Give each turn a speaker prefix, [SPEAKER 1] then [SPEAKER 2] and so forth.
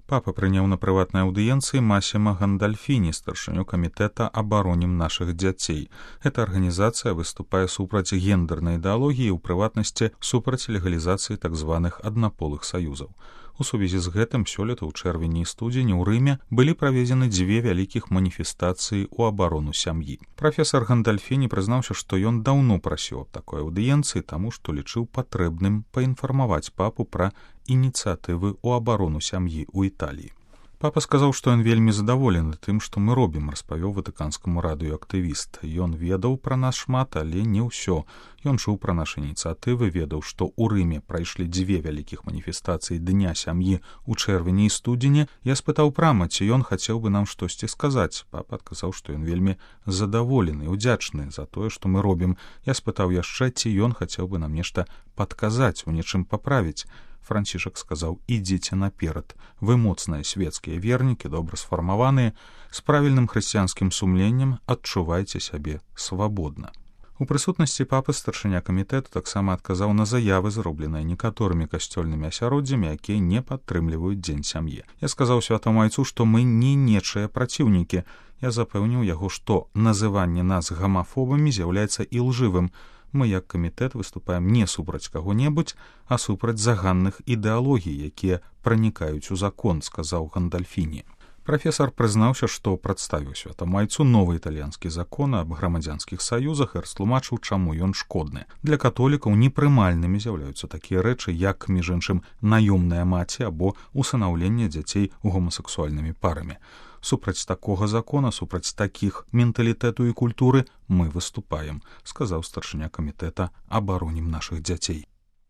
[SPEAKER 1] Папа прыняў на прыватнай аўдыенцыі Масіма Гандальфіні, старшыню камітэта «Абаронім нашых дзяцей». Эта арганізацыя выступае супраць гендернай ідэалогіі, у прыватнасці супраць легалізацыі так званых аднаполых саюзаў. У сувязі з гэтым сёлета ў чэрвені і студзені ў Рыме былі праведзены 2 вялікіх маніфестацыі ў абарону сям'і. Прафесар Гандальфіні прызнаўся, што ён даўно прасіў аб такой аўдыенцыі, таму што лічыў патрэбным паінфармаваць папу пра ініцыятывы ў абарону сям'і ў Італіі. Папа сказаў, што ён вельмі задаволены тым, што мы робім, распавёў ватыканскаму радыё актывіст. Ён ведаў пра нас шмат, але не ўсё. Ён чуў пра нашы ініцыятывы, ведаў, што ў Рыме прайшлі 2 вялікіх маніфестацыі Дня сям'і ў чэрвені і студзені. Я спытаў прама, ці ён хацеў бы нам штосьці сказаць. Папа адказаў, што ён вельмі задаволены, удзячны за тое, што мы робім. Я спытаў яшчэ, ці ён хацеў бы нам нешта падказаць, у нечым паправіць. Францішак сказаў: «Ідзіце наперад. Вы моцныя свецкія вернікі, добра сфармаваныя, з правільным хрысціянскім сумленнем, адчувайце сябе свабодна». У прысутнасці папы старшыня камітэту таксама адказаў на заявы, зробленыя некаторымі касцёльнымі асяроддзямі, якія не падтрымліваюць дзень сям'і. Я сказаў святому айцу, што мы не нечыя праціўнікі. Я запэўніў яго, што называнне нас гамафобамі з'яўляецца ілжывым. Мы, як камітэт, выступаем не супраць каго-небудзь, а супраць заганных ідэалогій, якія пранікаюць у закон, сказаў Гандальфіні. Прафесар прызнаўся, што прадставіў святому айцу новы італьянскі закон аб грамадзянскіх саюзах і растлумачыў, чаму ён шкодны. Для католікаў непрымальнымі з'яўляюцца такія рэчы, як, між іншым, наёмная маці або усынаўленне дзяцей гомасексуальнымі парамі. Супраць такога закона, супраць такіх менталітэту і культуры мы выступаем, сказаў старшыня камітэта «Абаронім нашых дзяцей».